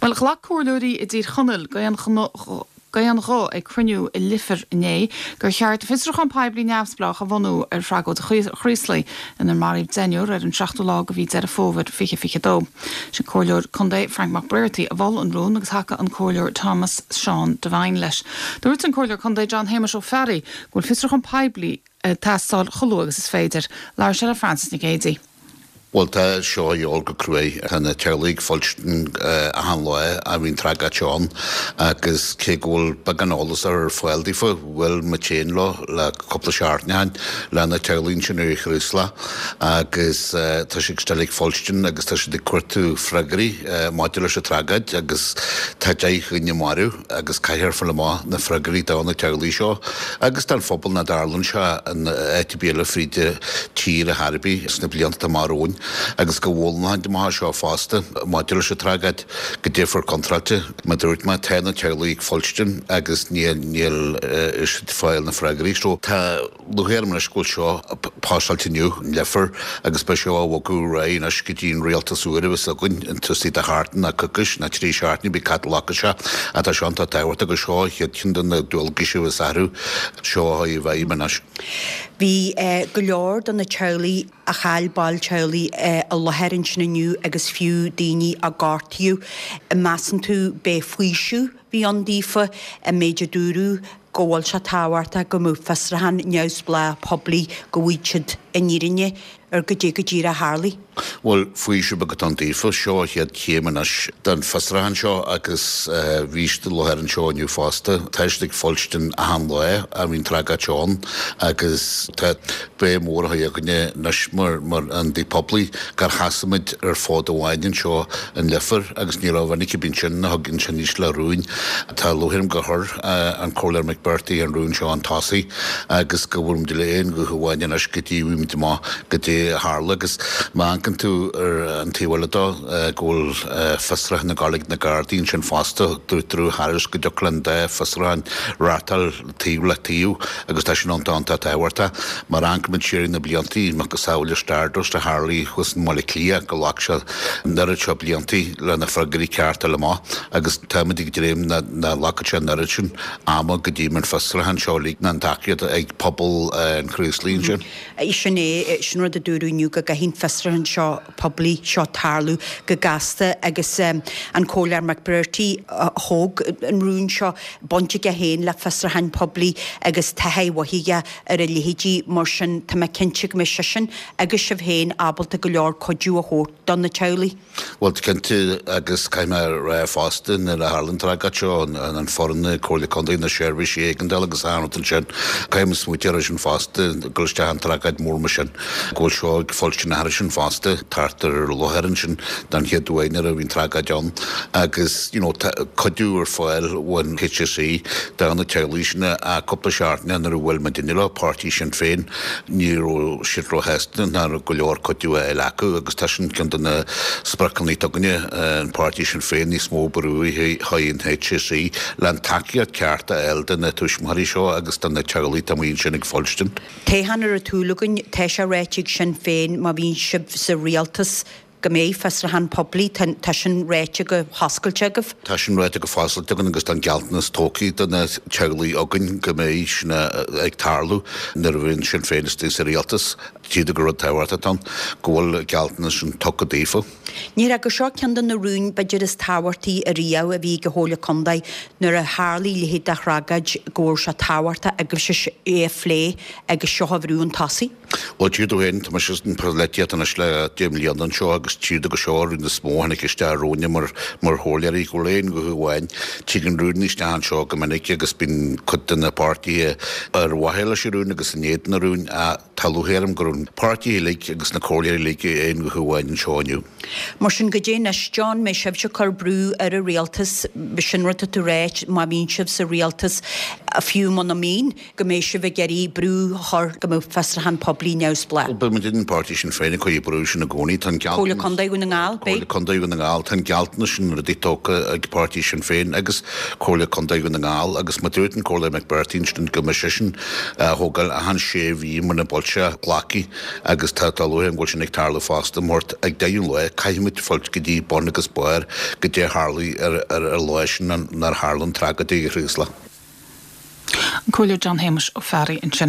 Bhuel, ghlac comhairleoirí i dTír Chonaill d'aon ghuth ag cruinniú i Leifear inné gur cheart fiosrúchán poiblí neamhspleách a bhunú ar thragóid Chraoslaigh inar maraíodh deichniúr ar an 7ú lá de mhí Deireadh Fómhair 2022. Sin Comhairleoir Contae Frank McBrearty a mhol an rún agus thacaigh an Comhairleoir Thomas Seán Devine leis. Dúirt an Comhairleoir Contae John Shéamuis Ó Fearraigh go bhfuil fiosrúchán poiblí ag teastáil chomh luath agus is féidir. Labhair sé le Frances Nic Géadaigh. Bhuel, tá seo a dhíobháil go cruaidh. Tá na teaghlaigh ag fuilstin achan lá a bhíonn tragóid ann agus cé go bhfuil beagán eolas ar fáil daofa, bhuail muid féin leo le cúpla seachtain ó shin, le na teaghlaigh ansin ar Chraoslach agus tá siad still ag fuilstin agus tá siad ag cuartú freagraí maidir leis an tragóid agus tá 10 dhuine marbh. agus caithfear fáil amach na freagraí do na teaghlaigh seo agus don phobal nach dtarlaíonn sé in áit ar bith eile fríd an tír ar chor ar bith sna blianta atá amach romhainn agus go bhfoghlaimeoidh amach seo fosta maidir leis an tragóid goidé a fuair contráilte. Mar dúirt mé, tá na teaghlaigh ag fuilstin agus níl siad ag fáil na freagraí so tá Lúcháir orm anois go bhfuil seo pasáilte inniu in Leifear agus beidh seo á bhogadh ar aghaidh anois go dtí an rialtas úr a bheas againn an taobh istigh de sheachtain ná coicís ná trí seachtaine pé cá fhad a ghlacfaidh sé ach tá seo iontach tábhachtach agus seo an chéad cheann de na dualgais a bheas orthu seo a chur i bhfeidhm anois. Bhí go leor de na teaghlaigh a chaill baill teaghlaigh i láthair ansin inniu agus fiú daoine a gortaíodh. Measann tú b'é faoiseamh bhí ann daofa an méid a dúradh go bhfuil sé tábhachtach go mbeadh fiosrúchán neamhspleách poiblí go bhfaighidh siad an fhírinne ar goidé go díreach a tharlaigh. Bhuel, faoiseamh beag atá ann daofa. Seo an chéad chéim anois den fiosrúchán seo agus bhí siad i láthair anseo inniu fosta. Tá siad ag fuilstin achan lá a bhíonn tragóid ann agus tá béim mhór á chur againne anois mar ionadaí poiblí gur sheasaigh muid ar fód amháin anseo in Leifear agus ní raibh duine ar bith ansin a thug ansin níos le rúin. Tá lúcháir orm gur chuir an Comhairleoir McBrearty an rún seo chun tosaigh agus go bhfuil muid le aon ghuth amháin anois go dtí bhfaighimid amach goidé a tharla agus má amharcann tú ar an taobh eile dó go bhfuil fiosrúchán ag gabháil ag na Gardaí ansin fosta. Dúirt Drew Harris go dtiocfadh le an dá fiosrúchán reáchtáil taobh le taobh agus tá sin iontach iontach tábhachtach. Má amharcann muid siar ar na bliantaí, macasamhail le Stardust a tharlaigh thuas i mBaile Átha Cliath, go ghlac sé an oiread seo bliantaí le na freagraí cearta a fháil amach agus táimid ag dréim nach nglacfaidh sé an oiread sin ama go dtí an fiosrúchán seo uilig ná an tacaíocht ag pobal an Chraoslaigh ansin. Sin é, sin rud a dúradh inniu go gcaithfidh an fiosrúchán seo poiblí seo tarlú go gasta agus an Comhairleoir McBrearty a thóg an rún seo, baint aige féin le fiosrúcháin poiblí agus taithí mhaith aige ar a leithéidí, mar sin tá mé cinnte go mbeidh seisean agus sibh féin ábalta go leor cuidiú a thabhairt do na teaghlaigh. Bhuel, cinnte, agus caithfidh mé a rá fosta, nuair a tharla an tragóid seo, an foireann na Comhairle Contae, na seirbhísí éigeandála agus achan rud ansin, caithfidh muid smaoitiú air sin fosta, dul isteach in tragóid mór mar sin. go bhfuil seo ag fuilstin aithris sin fosta, thart ar láthair ansin don chéad uair nuair a bhí an tragóid ann agus you know tá cuidiú ar fáil ón HSE do na teaghlaigh sin a cúpla seachtain nuair a bhuail muid inniu leo, páirtí Sinn Féin, ní raibh siad róshásta nach raibh go leor cuidiú á fháil acu agus tá sin ceann de na spriocanna atá againne, an páirtí Sinn Féin níos mó brú a chur ar an HSE le an tacaíocht ceart a fháil do na tuismitheoirí seo agus do na teaghlaigh atá amuigh ansin ag fuilstin. Toghchán ar an tsúil againn, tá sé ráite ag Sinn Féin má bhíonn sibh sa rialtas go mbeidh fiosrúchán poiblí, tá sin ráite go hoscailte agaibh? Tá sin ráite go hoscailte againn agus tá an gealltanas tugtha do na teaghlaigh againn go mbeidh sin ag tarlú nuair a bhíonn Sinn Féin istigh sa rialtas. Tchí tú gur rud tábhachtach atá ann go bhfuil an gealltanas sin tugtha daofa. Ní raibh gur seo ceann de na rúin b'fhéidir is tábhachtaí ariamh a bhí ag an Chomhairle Contae nuair a tharlaigh a leithéid de thragóid go raibh sé tábhachtach agaibhse é a phlé agus seo a bhrú chun tosaigh. Bhuel, tchí tú féin, tá mise san pholaitíocht anois le 10 mbliana anseo agus tchí tú gur seo an rún is mó a tháinig isteach romhainne mar mar chomhairleoirí, go bhfuil aon ghuth amháin. Tigeann rúin isteach anseo go minic agus bíonn cuid de na páirtithe ar mhaithe leis an rún agus in éadan an rúin ach Tá lúcháir orm go raibh na páirtithe uilig agus na comhairleoirí uilig i aon ghuth amháin anseo inniu. Mar sin, goidé anois, John, mbeidh sibhse ag cur brú ar an rialtas, sin rud atá tú ráit, má bhíonn sibh sa rialtas, fiú muna mbíonn, go mbeidh sibh ag iarraidh brú a chur go mbeadh fiosrúchán poiblí. poiblí neamhspleách. Bhuel, beidh muid in páirtí Sinn Féin ag cur brú sin i gcónaí. Tá an gealltanas. Comhairle Contae Dhún na nGall, beidh. Comhairle Contae Dhún na nGall, tá an gealltanas sin rudaí tógtha ag páirtí Sinn Féin agus Comhairle Contae Dhún na nGall agus má dúirt an Comhairleoir McBrearty ansin go mbeidh seisean á thógáil achan sé mhí muna bhfuil sé glactha agus tá tá luaithe an bhfuil sin ag tarlú fosta mar ag deireadh an lae caithfimid fáilt go dtí bun agus barr goidé tharlaigh ar ar ar lá sin nár tharla an tragóid ag an Chraoslach. An Comhairleoir John Shéamuis Ó Fearraigh ansin.